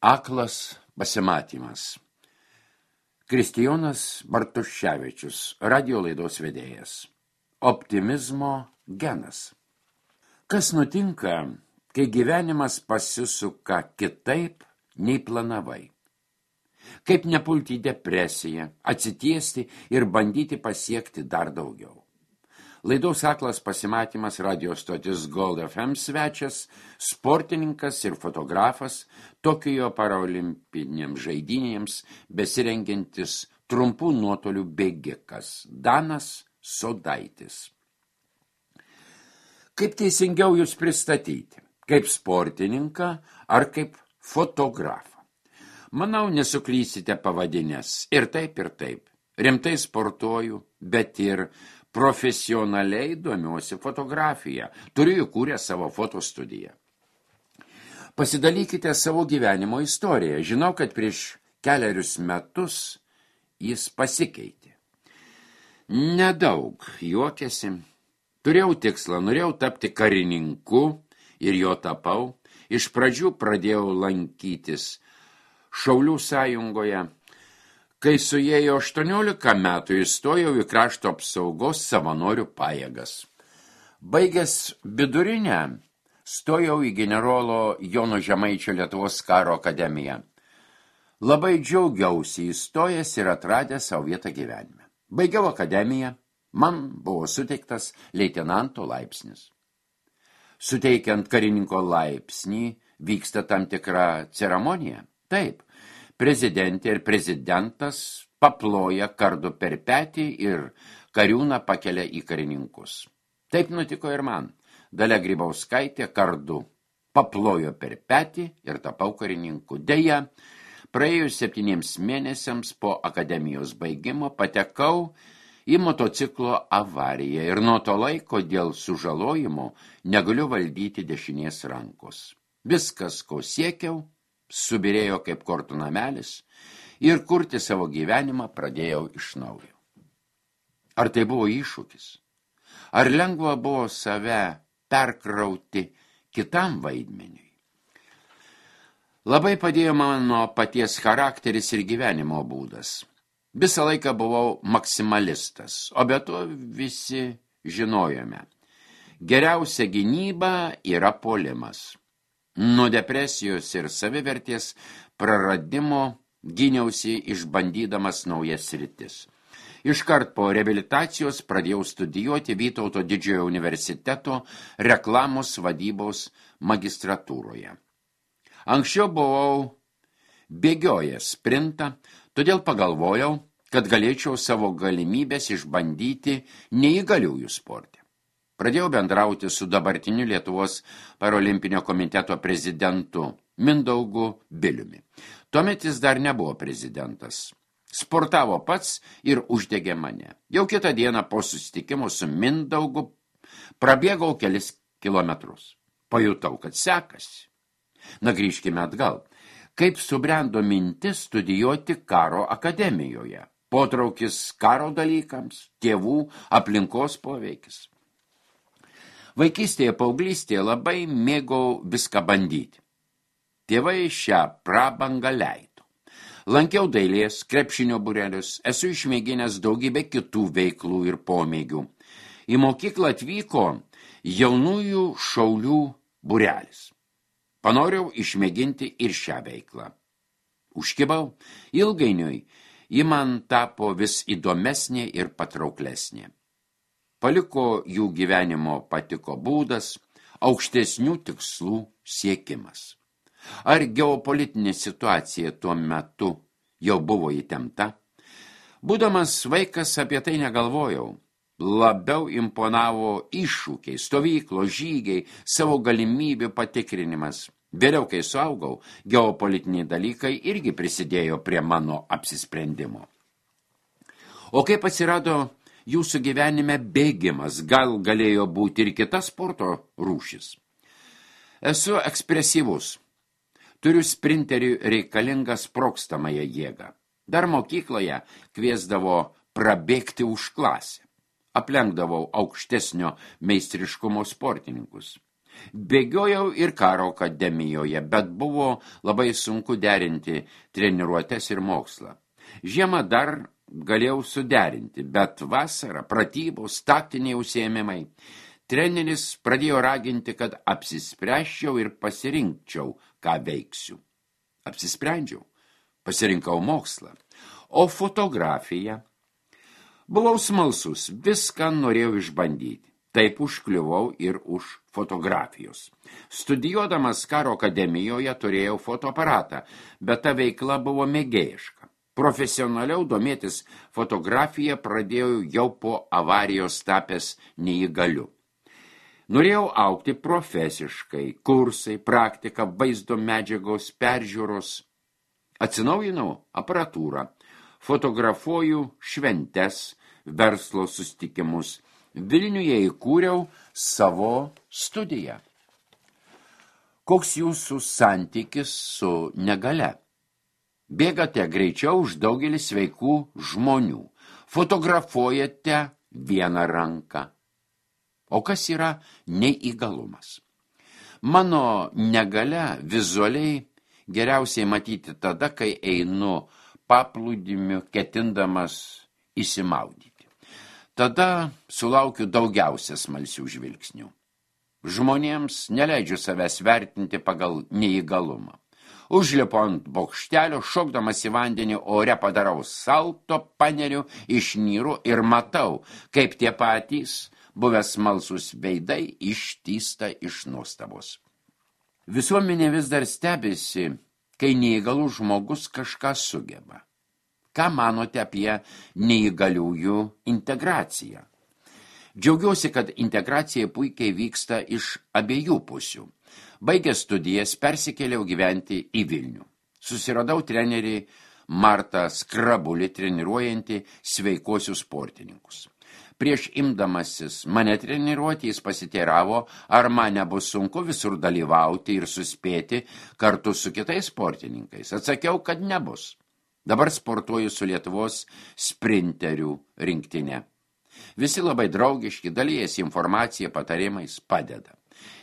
Aklas pasimatymas. Kristijonas Bartuševičius, radio laidos vedėjas. Optimizmo genas. Kas nutinka, kai gyvenimas pasisuka kitaip, nei planavai? Kaip nepulti į depresiją, atsitiesti ir bandyti pasiekti dar daugiau? Laidos Aklas pasimatymas radio stotis Gold FM svečias, sportininkas ir fotografas, Tokijo paralimpinėms žaidynėms besirengiantis trumpų nuotolių bėgikas Danas Sodaitis. Kaip teisingiau jūs pristatyti? Kaip sportininką ar kaip fotografą? Manau, nesuklysite pavadinęs ir taip. Rimtai sportuoju, bet ir profesionaliai domiuosi fotografiją. Turiu įkūrę savo fotostudiją. Pasidalykite savo gyvenimo istoriją. Žinau, kad prieš kelerius metus jis pasikeitė. Nedaug juokėsi. Turėjau tikslą, norėjau tapti karininku ir jo tapau. Iš pradžių pradėjau lankytis Šaulių sąjungoje. Kai suėjo 18 metų, įstojau į krašto apsaugos savanorių pajėgas. Baigęs vidurinę, stojau į generolo Jono Žemaičio Lietuvos karo akademiją. Labai džiaugiausi įstojęs ir atradęs savo vietą gyvenime. Baigiau akademiją, man buvo suteiktas leitenanto laipsnis. Suteikiant karininko laipsnį vyksta tam tikra ceremonija. Taip. Prezidentė ir prezidentas paploja kardu per petį ir kariūną pakelia į karininkus. Taip nutiko ir man. Dalia Grybauskaitė kardu paplojo per petį ir tapau karininku. Deja, praėjus 7 mėnesiams po akademijos baigimo patekau į motociklo avariją ir nuo to laiko dėl sužalojimo negaliu valdyti dešinės rankos. Viskas, ko siekiau, subirėjo kaip kortų namelis ir kurti savo gyvenimą pradėjau iš naujo. Ar tai buvo iššūkis? Ar lengva buvo save perkrauti kitam vaidmeniui? Labai padėjo mano paties charakteris ir gyvenimo būdas. Visą laiką buvau maksimalistas, o be to visi žinojome. Geriausia gynyba yra puolimas. Nuo depresijos ir savivertės praradimo gyniausi išbandydamas naujas sritis. Iškart po reabilitacijos pradėjau studijuoti Vytauto Didžiojo universiteto reklamos vadybos magistratūroje. Anksčiau buvau bėgiojęs sprintą, todėl pagalvojau, kad galėčiau savo galimybės išbandyti neįgaliųjų sporte. Pradėjau bendrauti su dabartiniu Lietuvos paralimpinio komiteto prezidentu Mindaugu Biliumi. Tuomet jis dar nebuvo prezidentas. Sportavo pats ir uždegė mane. Jau kitą dieną po susitikimo su Mindaugu prabėgau kelis kilometrus. Pajutau, kad sekasi. Na, grįžkime atgal. Kaip subrendo mintis studijuoti karo akademijoje? Potraukis karo dalykams, tėvų, aplinkos poveikis. Vaikystėje, paauglystėje labai mėgau viską bandyti. Tėvai šią prabangą leido. Lankiau dailės, krepšinio būrelius, esu išmėginęs daugybę kitų veiklų ir pomėgių. Į mokyklą atvyko jaunųjų šaulių būrelis. Panorėjau išmėginti ir šią veiklą. Užkibau, ilgainiui ji man tapo vis įdomesnė ir patrauklesnė. Paliko jų gyvenimo patiko būdas, aukštesnių tikslų siekimas. Ar geopolitinė situacija tuo metu jau buvo įtempta? Būdamas vaikas apie tai negalvojau. Labiau imponavo iššūkiai, stovyklos, žygiai, savo galimybių patikrinimas. Vėliau, kai suaugau, geopolitiniai dalykai irgi prisidėjo prie mano apsisprendimo. O kaip atsirado jūsų gyvenime bėgimas, gal galėjo būti ir kita sporto rūšis? Esu ekspresyvus. Turiu sprinteriui reikalingą sprogstamąją jėgą. Dar mokykloje kviesdavo prabėgti už klasę. Aplenkdavau aukštesnio meistriškumo sportininkus. Bėgiojau ir karo akademijoje, bet buvo labai sunku derinti treniruotes ir mokslą. Žiemą dar galėjau suderinti, bet vasarą pratybos, taktiniai užsiėmimai. Treneris pradėjo raginti, kad apsispręsčiau ir pasirinkčiau, ką veiksiu. Apsisprendžiau, pasirinkau mokslą. O fotografija? Buvau smalsus, viską norėjau išbandyti. Taip užkliuvau ir už fotografijos. Studijuodamas karo akademijoje turėjau fotoaparatą, bet ta veikla buvo mėgėjiška. Profesionaliau domėtis fotografiją pradėjau jau po avarijos tapęs neįgaliu. Norėjau augti profesiškai, kursai, praktika, vaizdo medžiagos, peržiūros. Atsinaujinau aparatūrą, fotografuoju šventes, verslo susitikimus. Vilniuje įkūriau savo studiją. Koks jūsų santykis su negalia? Bėgate greičiau už daugelį sveikų žmonių. Fotografuojate vieną ranką. O kas yra neįgalumas? Mano negalia vizualiai geriausiai matyti tada, kai einu paplūdimiu ketindamas įsimaudyti. Tada sulaukiu daugiausia smalsių žvilgsnių. Žmonėms neleidžiu savęs vertinti pagal neįgalumą. Užlipu ant bokštelio, šokdamas į vandenį ore padarau salto, paneriu, išnyru ir matau, kaip tie patys buvęs smalsūs veidai ištįsta iš nuostabos. Visuomenė vis dar stebisi, kai neįgalus žmogus kažką sugeba. Ką manote apie neįgaliųjų integraciją? Džiaugiuosi, kad integracija puikiai vyksta iš abiejų pusių. Baigęs studijas persikėliau gyventi į Vilnių. Susiradau trenerį Martą Skrabulį treniruojantį sveikuosius sportininkus. Prieš imdamasis mane treniruoti, jis pasiteiravo, ar man nebus sunku visur dalyvauti ir suspėti kartu su kitais sportininkais. Atsakiau, kad nebus. Dabar sportuoju su Lietuvos sprinterių rinktinė. Visi labai draugiški, dalijasi informacija, patarimais, padeda.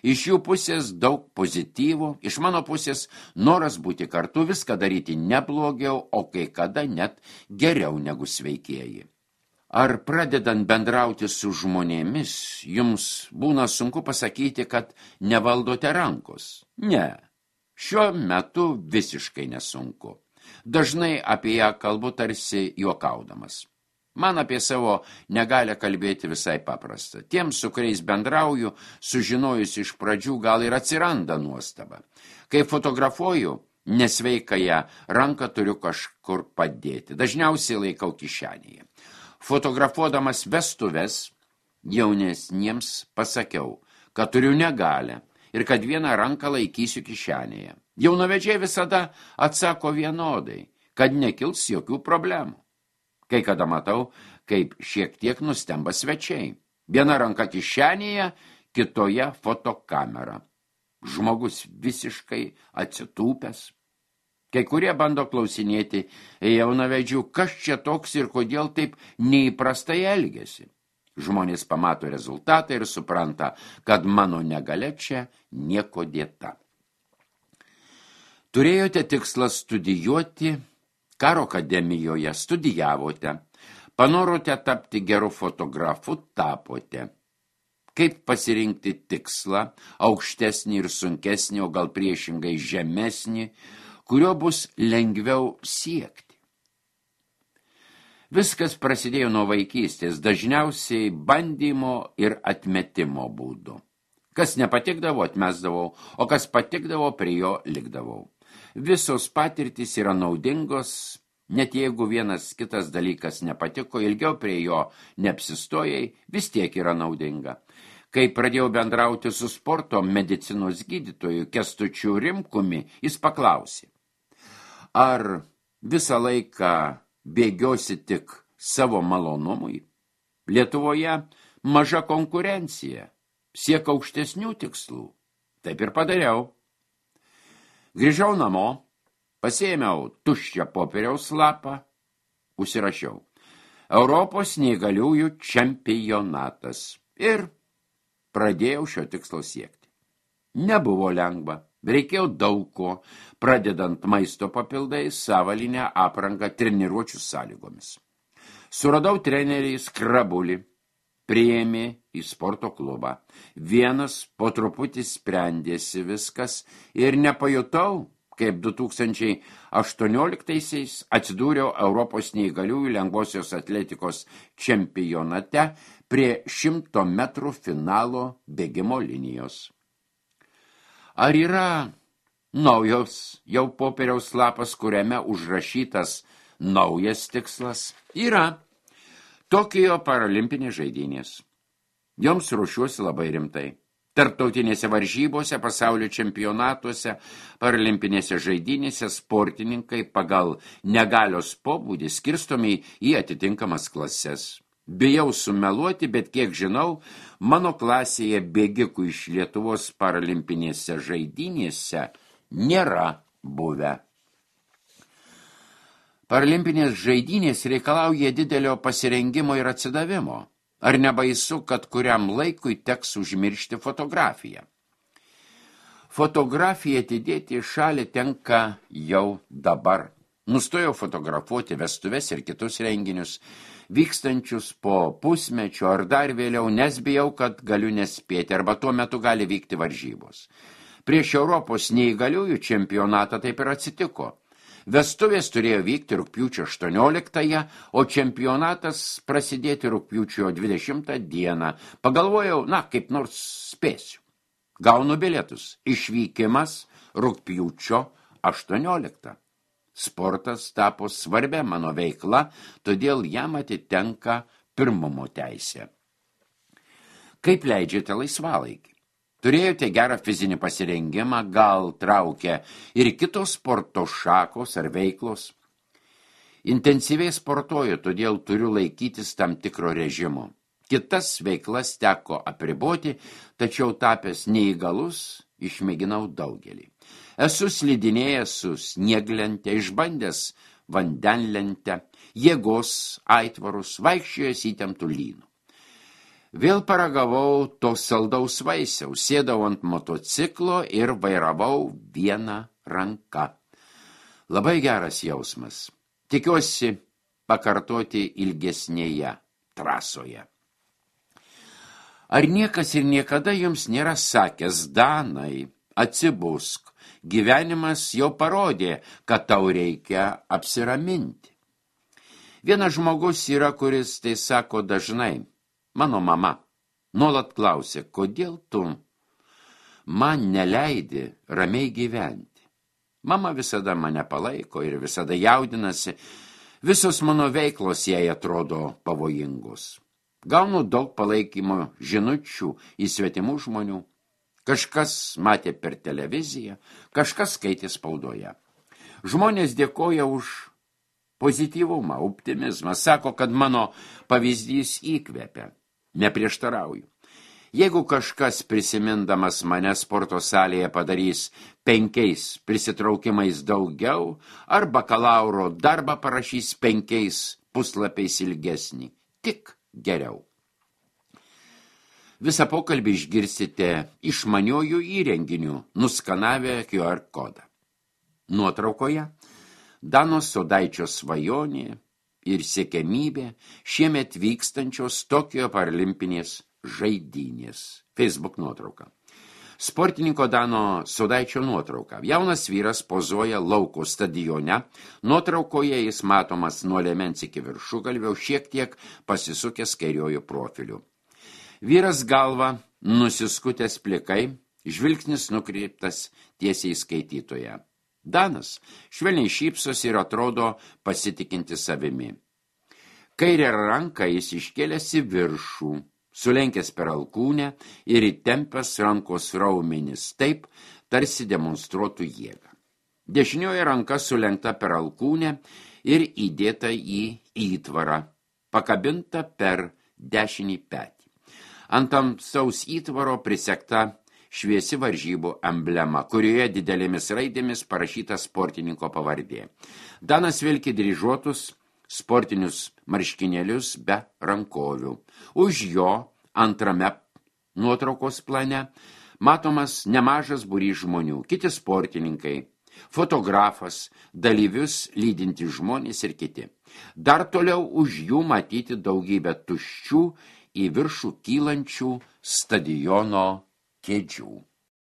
Iš jų pusės daug pozityvų, iš mano pusės noras būti kartu, viską daryti neblogiau, o kai kada net geriau negu sveikieji. Ar pradedant bendrauti su žmonėmis, jums būna sunku pasakyti, kad nevaldote rankos? Ne, šiuo metu visiškai nesunku. Dažnai apie ją kalbu tarsi juokaudamas. Man apie savo negalią kalbėti visai paprasta. Tiems, su kuriais bendrauju, sužinojus iš pradžių, gal ir atsiranda nuostaba. Kai fotografuoju, nesveikąją ranką turiu kažkur padėti. Dažniausiai laikau kišenėje. Fotografuodamas vestuves, jaunesniems pasakiau, kad turiu negalią ir kad vieną ranką laikysiu kišenėje. Jaunavedžiai visada atsako vienodai, kad nekils jokių problemų. Kai kada matau, kaip šiek tiek nustemba svečiai. Viena ranka kišenėje, kitoje fotokamera. Žmogus visiškai atsitūpęs. Kai kurie bando klausinėti jaunavedžių, kas čia toks ir kodėl taip neįprastai elgiasi. Žmonės pamato rezultatą ir supranta, kad mano negalia čia nieko dėta. Turėjote tikslą studijuoti, karo akademijoje studijavote, panorote tapti geru fotografu, tapote. Kaip pasirinkti tikslą, aukštesnį ir sunkesnį, o gal priešingai žemesnį, kurio bus lengviau siekti? Viskas prasidėjo nuo vaikystės, dažniausiai bandymo ir atmetimo būdu. Kas nepatikdavo, atmesdavau, o kas patikdavo, prie jo likdavau. Visos patirtys yra naudingos, net jeigu vienas kitas dalykas nepatiko, ilgiau prie jo neapsistojai, vis tiek yra naudinga. Kai pradėjau bendrauti su sporto medicinos gydytoju Kęstučiu Rimkumi, jis paklausė, ar visą laiką bėgiosi tik savo malonumui? Lietuvoje maža konkurencija, siek aukštesnių tikslų. Taip ir padariau. Grįžau namo, pasiėmiau tuščią popieriaus lapą, užsirašiau Europos neįgaliųjų čempionatas ir pradėjau šio tikslo siekti. Nebuvo lengva. Reikėjo daug ko, pradedant maisto papildais, savalinę aprangą treniruočių sąlygomis. Suradau trenerį Skrabulį, priėmė į sporto klubą. Vienas po truputį sprendėsi viskas ir nepajutau, kaip 2018-aisiais atsidūriau Europos neįgaliųjų lengvosios atletikos čempionate prie 100 metrų finalo bėgimo linijos. Ar yra naujos jau popieriaus lapas, kuriame užrašytas naujas tikslas? Yra. Tokijo paralimpinės žaidynės. Joms ruošiuosi labai rimtai. Tarptautinėse varžybose, pasaulio čempionatuose, paralimpinėse žaidynėse sportininkai pagal negalios pobūdį skirstomi į atitinkamas klases. Bijau sumeluoti, bet kiek žinau, mano klasėje bėgikų iš Lietuvos paralimpinėse žaidynėse nėra buvę. Paralimpinės žaidynės reikalauja didelio pasirengimo ir atsidavimo. Ar nebaisu, kad kuriam laikui teks užmiršti fotografiją? Fotografiją atidėti į šalį tenka jau dabar. Nustojau fotografuoti vestuves ir kitus renginius, vykstančius po pusmečio ar dar vėliau, nes bijau, kad galiu nespėti, arba tuo metu gali vykti varžybos. Prieš Europos neįgaliųjų čempionatą taip ir atsitiko. Vestuvės turėjo vykti rugpjūčio 18, o čempionatas prasidėti rugpjūčio 20 dieną. Pagalvojau, kaip nors spėsiu. Gaunu bilietus. Išvykimas rugpjūčio 18. Sportas tapo svarbia mano veikla, todėl jam atitenka pirmumo teisė. Kaip leidžiate laisvalaikį? Turėjote gerą fizinį pasirengimą, gal traukia ir kitos sporto šakos ar veiklos? Intensyviai sportuoju, todėl turiu laikytis tam tikro režimo. Kitas veiklas teko apriboti, tačiau tapęs neįgalus, išmėginau daugelį. Esu slidinėjęs su snieglente, išbandęs vandenlentę, jėgos aitvarus, vaikščiojęs įtemptų lynų. Vėl paragavau to saldaus vaisiaus, sėdau ant motociklo ir vairavau vieną ranką. Labai geras jausmas. Tikiuosi pakartoti ilgesnėje trasoje. Ar niekas ir niekada jums nėra sakęs, Danai, atsibusk, gyvenimas jau parodė, kad tau reikia apsiraminti? Vienas žmogus yra, kuris tai sako dažnai. Mano mama nuolat klausė, kodėl tu man neleidi ramiai gyventi. Mama visada mane palaiko ir visada jaudinasi, visos mano veiklos jai atrodo pavojingos. Gaunu daug palaikymo žinučių į svetimų žmonių. Kažkas matė per televiziją, kažkas skaitė spaudoje. Žmonės dėkoja už pozityvumą, optimizmą, sako, kad mano pavyzdys įkvepia. Neprieštarauju. Jeigu kažkas prisimindamas mane sporto salėje padarys 5 prisitraukimais daugiau, ar bakalauro darbą parašys 5 puslapiais ilgesnį, tik geriau. Visą pokalbį išgirsite išmaniojų įrenginių, nuskanavę QR kodą. Nuotraukoje Dano Sodaičio svajonė ir siekiamybė šiemet vykstančios Tokijo paralimpinės žaidynės. Facebook nuotrauka. Sportininko Dano Sodaičio nuotrauka. Jaunas vyras pozuoja lauko stadione. Nuotraukoje jis matomas nuo liemens iki viršugalvio, šiek tiek pasisukęs kairiuoju profiliu. Vyras galva nusiskutęs plikai, žvilgsnis nukreiptas tiesiai skaitytoje. Danas švelniai šypsosi ir atrodo pasitikinti savimi. Kairę ranką jis iškėlęs į viršų, sulenkęs per alkūnę ir įtempęs rankos raumenis taip, tarsi demonstruotų jėgą. Dešinioji ranka sulenkta per alkūnę ir įdėta į įtvarą, pakabinta per dešinį petį. Ant tamsaus įtvaro prisegta šviesi varžybų emblema, kurioje didelėmis raidėmis parašyta sportininko pavardė. Danas vilki dryžuotus sportinius marškinėlius be rankovių. Už jo antrame nuotraukos plane Matomas nemažas būrys žmonių, kiti sportininkai, fotografas, dalyvius lydinti žmonės ir kiti. Dar toliau už jų matyti daugybę tuščių į viršų kylančių stadiono kėdžių.